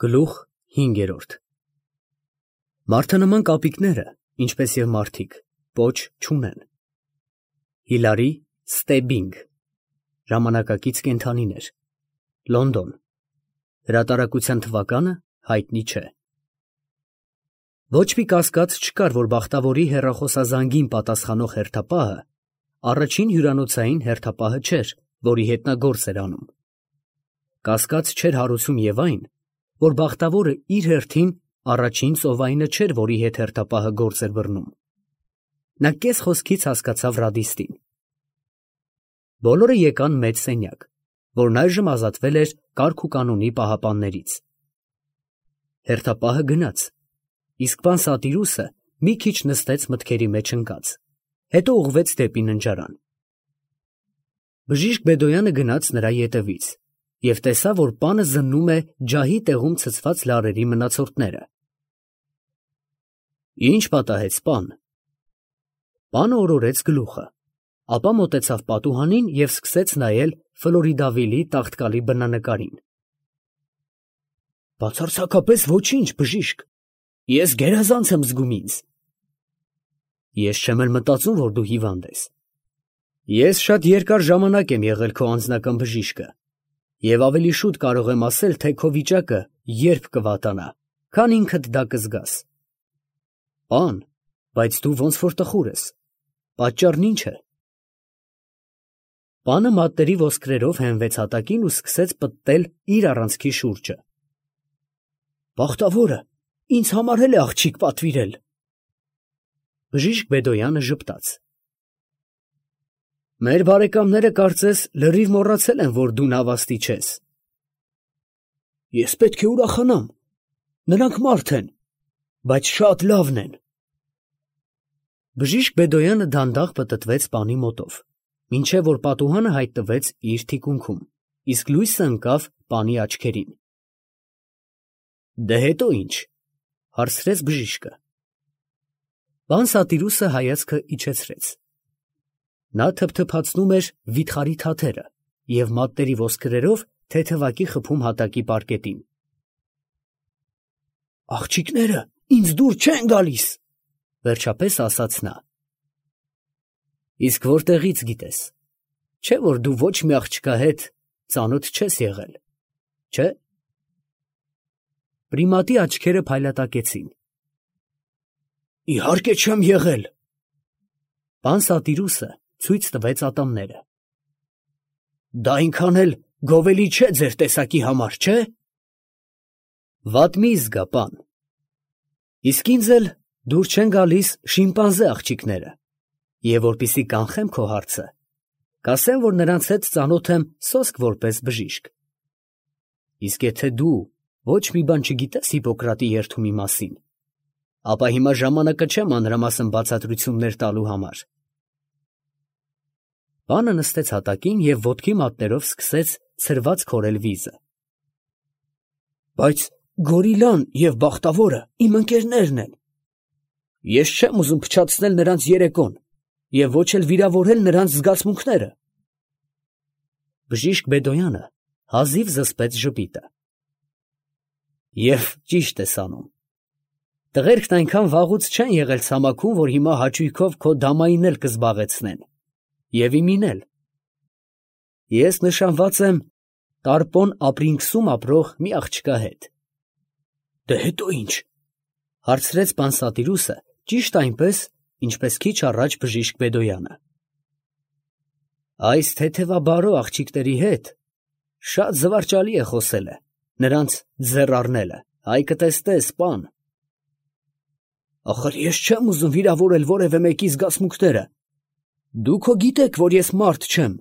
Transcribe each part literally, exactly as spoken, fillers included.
Գլուխ հինգերորդ Մարդանման կապիկները, ինչպես և մարդիկ, պոչ չունեն։ Հիլարի Ստեբբինգ, ժամանակակից կենդանիներ, Լոնդոն, հրատարակության թվականը հայտնի չէ։ Ոչ մի կասկած չկար, որ բախտավորի հեռախոսազանգին պատասխանող հերթապահը առաջին հյուրանոցային հերթապահը չէր, որի հետ նա գործ էր անում։ Կասկած չէր հարուցում և այն, որ բախտավորը իր հերթին առաջին ծովայինը չէր, որի հետ հերթապահը գործ էր բռնում։ Նա կես խոսքից հասկացավ ռադիստին։ Բոլորը եկան մեծ սենյակ, որն այժմ ազատվել էր կարգ ու կանոնի պահապաններից։ Հերթապահը գնաց, իսկ պան Սատիրուսը մի քիչ նստեց մտքերի մեջ ընկած, հետո ուղղվեց դեպի ննջարան։ Բժիշկ Բեդոյանը գնաց նրա ետևից և տեսավ, որ պանը զննում է ջահի տեղում ցցված լարերի մնացորդները։ Ի՞նչ պատահեց, պան։ Պանը օրորեց գլուխը, ապա մոտեցավ պատուհանին և սկսեց նայել Ֆլորիդավիլի տաղտկալի բնանկարին։ Բացարձակապես ոչինչ, բժիշկ, ես գերազանց եմ զգում ինձ։ Ես չեմ էլ մտածում, որ դու հիվանդ ես։ Ես շատ երկար ժամանակ եմ եղել քո անձնական բժիշկը և ավելի շուտ կարող եմ ասել, թե քո վիճակը երբ կվատանա, քան ինքդ դա կզգաս։ Պան, բայց դու ոնց որ տխուր ես, պատճառն ի՞նչ է։ Պանը մատների ոսկրերով հենվեց հատակին ու սկսեց պտտել իր առանցքի շուրջը։ Բախտավորը ինձ համար էլ է աղջիկ պատվիրել։ Բժիշկ Բեդոյանը ժպտաց։ Մեր բարեկամները կարծես լրիվ մոռացել են, որ դու նավաստի չես։ Ես պետք է ուրախանամ, նրանք մարդ են, բայց շատ լավն են։ Բժիշկ Բեդոյանը դանդաղ պտտվեց պանի մոտով, մինչև որ պատուհանը հայտնվեց իր թիկունքում, իսկ լույսը ընկավ պանի աչքերին։ Դե հետո ի՞նչ, հարցրեց բժիշկը։ Պան Սատիրուսը հայացքը իջեցրեց։ Նա թփթփացնում էր վիթխարի թաթերը և մատների ոսկրերով թեթևակի խփում հատակի պարկետին։ Աղջիկները ինձ դուր չեն գալիս, վերջապես ասաց նա։ Իսկ որտեղից գիտես, չէ՞ որ դու ոչ մի աղջկա հետ ծանոթ չես եղել, չէ՞։ Պրիմատի աչքերը փայլատակեցին։ Իհարկե չեմ եղել։ Պան Սատիրուսը ցույց տվեց ատամները։ Դա այնքան էլ գովելի չէ ձեր տեսակի համար, չէ՞։ Վատ մի զգա, պան։ Իսկ ինձ էլ դուր չեն գալիս շիմպանզե աղջիկները, և որպեսզի կանխեմ քո հարցը, կասեմ, որ նրանց հետ ծանոթ եմ սոսկ որպես բժիշկ։ Իսկ եթե դու ոչ մի բան չգիտես Հիպոկրատի երդումի մասին, ապա հիմա ժամանակը չէ մանրամասն բացատրություններ տալու համար։ Պանը նստեց հատակին և ոտքի մատներով սկսեց ցրված քորել վիզը։ Բայց Գորիլան և Բախտավորը իմ ընկերներն են։ Ես չեմ ուզում փչացնել նրանց երեկոն և ոչ էլ վիրավորել նրանց զգացմունքները։ Բժիշկ Բեդոյանը հազիվ զսպեց ժպիտը։ Եվ ճիշտ ես անում։ Տղերքն այնքան վաղուց չեն եղել ցամաքում, որ հիմա հաճույքով քո դամային էլ կզբաղեցնեն, և իմին էլ։ Ես նշանված եմ Տարպոն Ապրինքսում ապրող մի աղջկա հետ։ Դե հետո ի՞նչ, հարցրեց պան Սատիրուսը ճիշտ այնպես, ինչպես քիչ առաջ բժիշկ Բեդոյանը։ Այս թեթևաբարո աղջիկների հետ շատ զվարճալի է խոսելը, նրանց ձեռ առնելը, այ կտեսնես, պան։ Ախր ես չեմ ուզում վիրավորել որևէ մեկի զգացմունքները։ Դուք հո գիտեք, որ ես մարդ չեմ։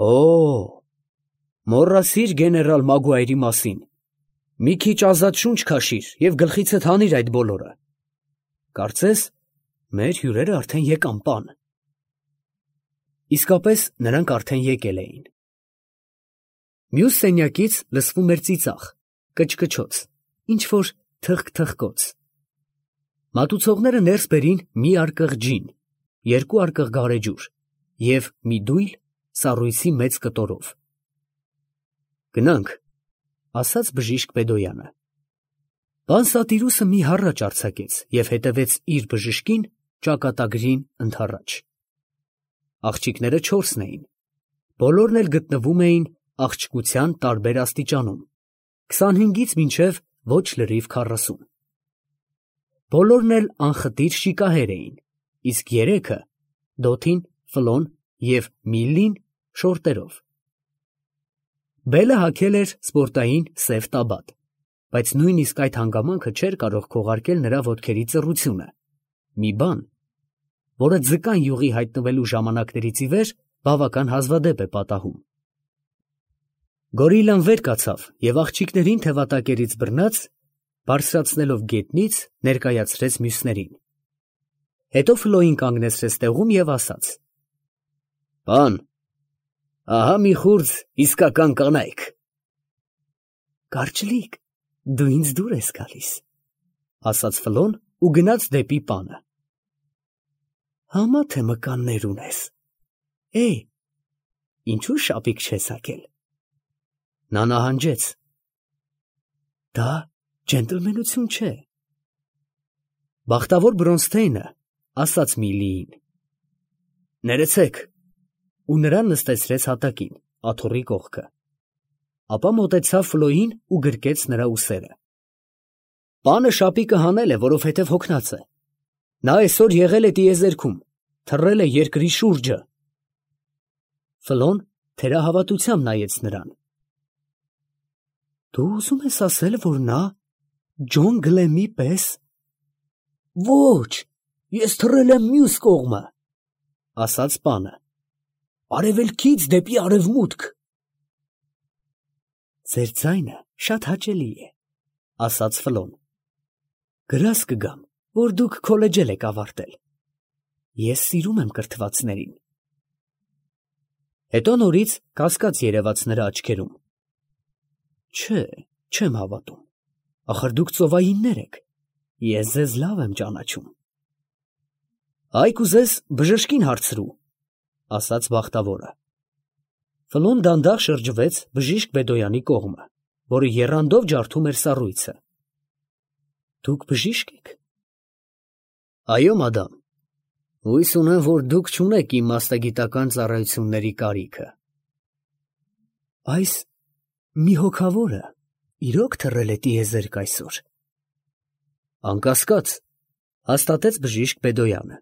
Օ, մոռացիր գեներալ Մագուայրի մասին։ Մի քիչ ազատ շունչ քաշիր և գլխիցդ հանիր այդ բոլորը։ Կարծես, մեր հյուրերը արդեն եկան, պան։ Իսկապես նրանք արդեն եկել էին։ Մյուս սենյակից լսվում էր ծիծաղ, կչկչոց, ինչ֊որ թխկթխկոց։ Մատուցողները ներս բերին մի արկղ ջին, երկու արկղ գարեջուր և մի դույլ սառույցի մեծ կտորով։ Գնանք, ասաց բժիշկ Բեդոյանը։ Պան Սատիրուսը մի հառաչ արձակեց և հետևեց իր բժշկին ճակատագրին ընդառաջ։ Աղջիկները չորսն էին, բոլորն էլ գտնվում էին աղջկության տարբեր աստիճանում, քսանհինգից մինչև ոչ լրիվ քառասուն։ Բոլորն էլ անխտիր շիկահեր էին, իսկ երեքը՝ Դոթին, Ֆլոն և Միլլին շորտերով։ Բելը հագել էր սպորտային սև տաբատ, բայց նույնիսկ այդ հանգամանքը չէր կարող քողարկել նրա ոտքերի ծռությունը, մի բան, որը ձկան յուղի հայտնվելու ժամանակներից ի վեր բավական հազվադեպ է պատահում։ Գորիլլան վեր կացավ և աղջիկներին թևատակերից բռնած, բարձրացնելով գետնից, ներկայացրեց մյուսներին։ Հետո Ֆլոյին կանգնեցրեց տեղում և ասաց. «Պան, ահա մի խուրձ իսկական կանայք»։ «Կարճլիկ, դու ինձ դուր ես գալիս», ասաց Ֆլոն ու գնաց դեպի պանը։ «Համա թե մկաններ ունես, էյ, ինչու շապիկ չես հագել»։ Նա նահանջեց։ «Դա ջենտլմենություն չէ»։ Բախտավոր Բրոնսթեյնը ասաց Միլիին. «Ներեցեք», ու նրան նստեցրեց հատակին, աթոռի կողքը։ Ապա մոտեցավ Ֆլոյին ու գրկեց նրա ուսերը։ «Պանը շապիկը հանել է, որովհետև հոգնած է։ Նա այսօր եղել է տիեզերքում, թռել է երկրի շուրջը»։ Ֆլոն թերահավատությամբ նայեց նրան։ «Դու ուզում ես ասել, որ նա Ջոն Գլեմի պես»։ «Ոչ, ես թռել եմ մյուս կողմը», ասաց պանը, «արևելքից դեպի արևմուտք»։ «Ձեր ձայնը շատ հաճելի է», ասաց Ֆլոն։ «Գրազ կգամ, որ դուք քոլեջել եք ավարտել։ Ես սիրում եմ կրթվածներին»։ Հետո նորից կասկած երևաց նրա աչքերում։ «Չէ, չեմ հավատում, ախր դուք ծովայիններ եք, ես ձեզ լավ եմ ճանաչում»։ «Այ կուզես բժշկին հարցրու», ասաց բախտավորը։ Ֆլոն դանդաղ շրջվեց բժիշկ Բեդոյանի կողմը, որը եռանդով ջարդում էր սառույցը։ «Դուք բժիշկ եք»։ «Այո, մադամ, հույս ունեմ, որ դուք չունեք իմ մասնագիտական ծառայությունների կարիքը»։ «Այս մի հոգավորը իրոք թռել է տիեզերք այսօր»։ «Անկասկած», հաստատեց բժիշկ Բեդոյանը։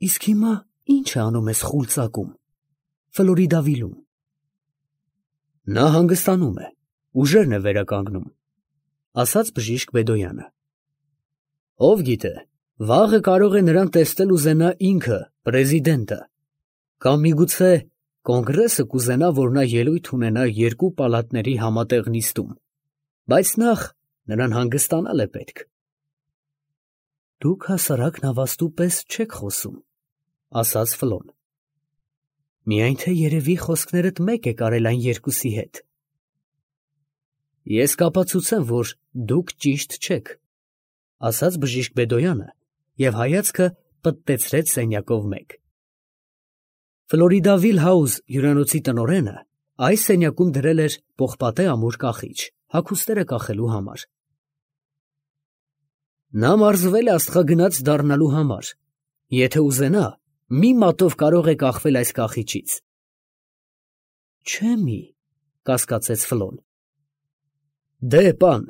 «Իսկ հիմա ի՞նչ է անում ես Խուլծակում, Ֆլորիդավիլում»։ «Նա հանգստանում է, ուժերն է վերականգնում», ասաց բժիշկ Բեդոյանը։ «Ով գիտե, վաղը կարող է նրան տեսնել ուզենա ինքը, պրեզիդենտը, կամ միգուցե կոնգրեսը կուզենա, որ նա ելույթ ունենա երկու պալատների համատեղ նիստում, բայց նախ նրան հանգստանալ է պետք»։ «Դուք հասարակ նավաստու պես չեք խոսում», ասաց Ֆլոն։ «Միայն թե երևի խոսքներդ մեկ եք արել այն երկուսի հետ»։ «Ես կապացուցեմ, որ դուք ճիշտ չեք», ասաց բժիշկ Բեդոյանը և հայացքը պտտեցրեց սենյակով մեկ։ Ֆլորիդավիլ Հաուս հյուրանոցի տնօրենը այս սենյակում դրել էր պողպատե ամուր կախիչ, հագուստները կախելու համար։ «Նա մարզվել է աստղագնաց դառնալու համար, եթե ուզենա, մի մատով կարող է կախվել այս կախիչից»։ «Չէ՞ մի», կասկածեց Ֆլոն։ «Դե, պան,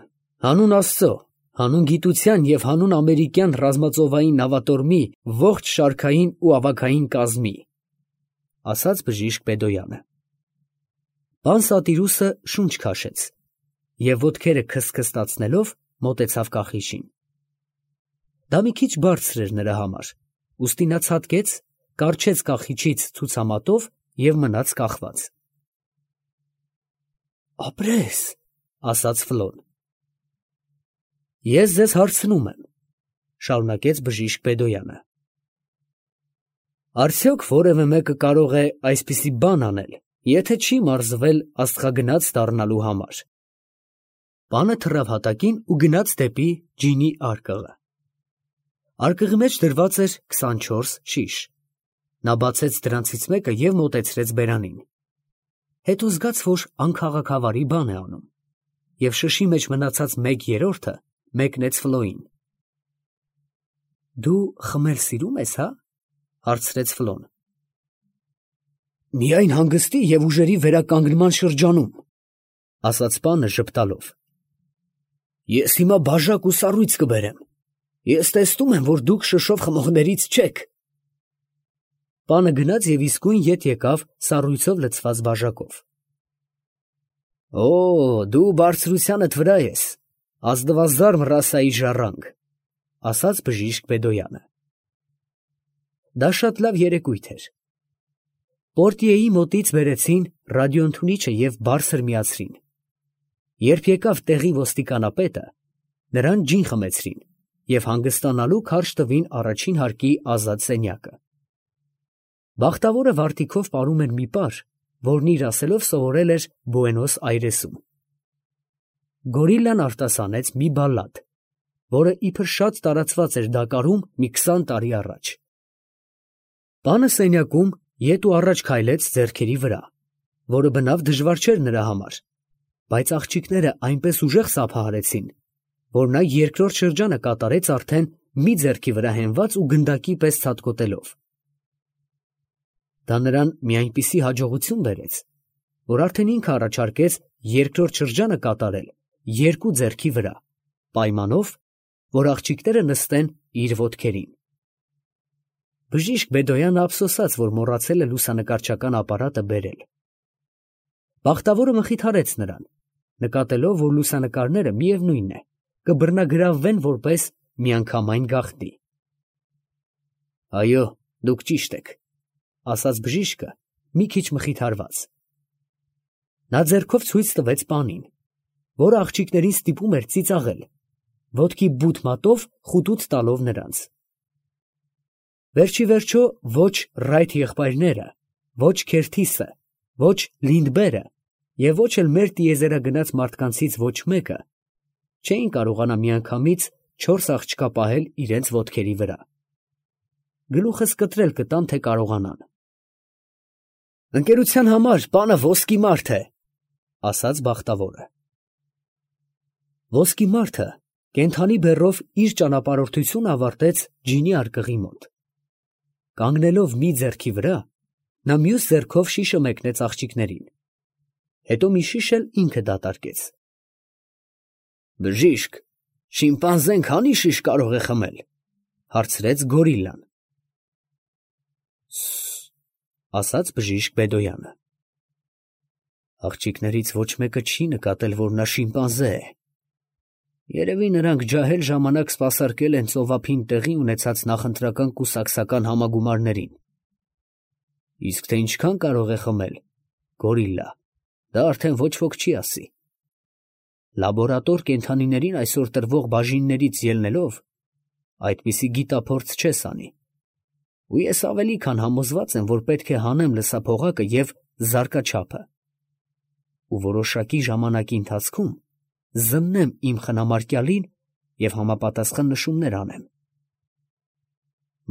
հանուն Աստծո, հանուն գիտության և հանուն ամերիկյան ռազմածովային նավատորմի ողջ շարքային ու ավագային կազմի», ասաց բժիշկ Բեդոյանը։ Պան Սատիրուսը շունչ քաշեց և ոտքերը քստքստացնելով մոտեցավ կախիչին։ Դա մի քիչ բարձր էր նրա համար, ուստի նա ցատկեց, կառչեց կախիչից ցուցամատով և մնաց կախված։ «Ապրես», ասաց Ֆլոն։ «Ես ձեզ հարցնում եմ», շարունակեց բժիշկ Բեդոյանը. «Արդյոք որևէ մեկը կարող է այսպիսի բան անել, եթե չի մարզվել աստղագնաց դառնալու համար»։ Պանը թռավ հատակին ու գնաց դեպի ջինի արկղը։ Արկղի մեջ դրված էր քսանչորս շիշ։ Նա բացեց դրանցից մեկը և մոտեցրեց բերանին։ հետո զգաց, որ անքաղաքավարի բան է անում, և շշի մեջ մնացած մեկ երրորդը մեկնեց Ֆլոյին։ Դու խմել սիրում ես, հա՞, հարցրեց Ֆլոն։ Միայն հանգստի և ուժերի վերականգնման շրջանում, ասաց պանը ժպտալով։ Ես հիմա բաժակ ու սառույց կբերեմ։ Ես տեսնում եմ, որ դուք շշով խմողներից չեք։ Պանը գնաց և իսկույն ետ եկավ սառույցով լցված բաժակով։ Օ, դու բարձրությանդ վրա ես, ազնվազարմ ռասայի ժառանգ, ասաց բժիշկ Բեդոյանը։ Դա շատ լավ երեկույթ էր։ Պորտիեի մոտից բերեցին ռադիոընդունիչը և բարձր միացրին։ Երբ եկավ տեղի ոստիկանապետը, նրան ջին խմեցրին և հանգստանալու քարշ տվին առաջին հարկի ազատ սենյակը։ Բախտավորը վարտիքով պարում էր մի պար, որն իր ասելով սովորել էր Բուենոս Այրեսում։ Գորիլլան արտասանեց մի բալլադ, որը իբր շատ տարածված էր Դակարում մի քսան տարի առաջ։ Պանը սենյակում ետ ու առաջ քայլեց ձեռքերի վրա, որը բնավ դժվար չէր նրա համար, բայց աղջիկները այնպես ուժեղ սափահարեցին, որ նա երկրորդ շրջանը կատարեց արդեն մի ձեռքի վրա հենված ու գնդակի պես ցատկոտելով։ Դա նրան մի այնպիսի հաջողություն բերեց, որ արդեն ինքը առաջարկեց երկրորդ շրջանը կատարել երկու ձեռքի վրա, պայմանով, որ աղջիկները նստեն իր ոտքերին։ Բժիշկ Բեդոյանը ափսոսաց, որ մոռացել է լուսանկարչական ապարատը բերել։ Բախտավորը մխիթարեց նրան, նկատելով, որ լուսանկարները միևնույն է, կբռնագրավվեն որպես միանգամայն գաղտնի։ Այո, դուք ճիշտ եք, ասաց բժիշկը, մի քիչ մխիթարված։ Նա ձեռքով ցույց տվեց պանին, որը աղջիկներին ստիպում էր ծիծաղել, ոտքի բութ մատով խուտուց տալով նրանց։ Վերջի վերջո ոչ Ռայթ եղբայրները, ոչ Քերթիսը, ոչ Լինդբերը և ոչ էլ մեր տիեզերագնաց մարդկանցից ոչ մեկը չէին կարողանա միանգամից չորս աղջկա պահել իրենց ոտքերի վրա։ Գլուխս կտրել կտամ, թե կարողանան։ Ընկերության համար պանը ոսկի մարդ է, ասաց բախտավորը։ Ոսկի մարդը կենդանի բեռով իր ճանապարհորդությունը ավարտեց ջինի արկղի մոտ։ Կանգնելով մի ձեռքի վրա, նա մյուս ձեռքով շիշը մեկնեց աղջիկներին, հետո մի շիշ էլ ինքը դատարկեց։ Բժիշկ, շիմպանզեն քանի շիշ կարող է խմել, հարցրեց Գորիլլան։ Սս, ասաց բժիշկ Բեդոյանը։ Աղջիկներից ոչ մեկը չի նկատել, որ նա շիմպանզե է։ Երևի նրանք ջահել ժամանակ սպասարկել են ծովափին տեղի ունեցած նախընտրական կուսակցական համագումարներին։ Իսկ թե ինչքան կարող է խմել, Գորիլլա, դա արդեն ոչ ոք չի ասի։ Լաբորատոր կենդանիներին այսօր տրվող բաժիններից ելնելով, այդպիսի գիտափորձ չես անի։ Ու ես ավելի քան համոզված եմ, որ պետք է հանեմ լսափողակը և զարկաչափը։ Ու որոշակի ժամանակի ընթացքում զննեմ իմ խնամարկյալին և համապատասխան նշումներ անեմ։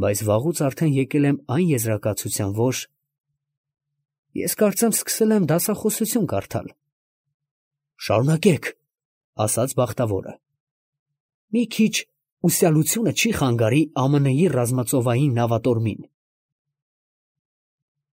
Բայց վաղուց արդեն եկել եմ այն եզրակացության, որ ես կարծեմ սկսել եմ դասախոսություն կարդալ։ Շարունակեք, ասաց բախտավորը։ Մի քիչ ուսյալությունը չի խանգարի Ամն-ի ռազմածովային նավատորմին։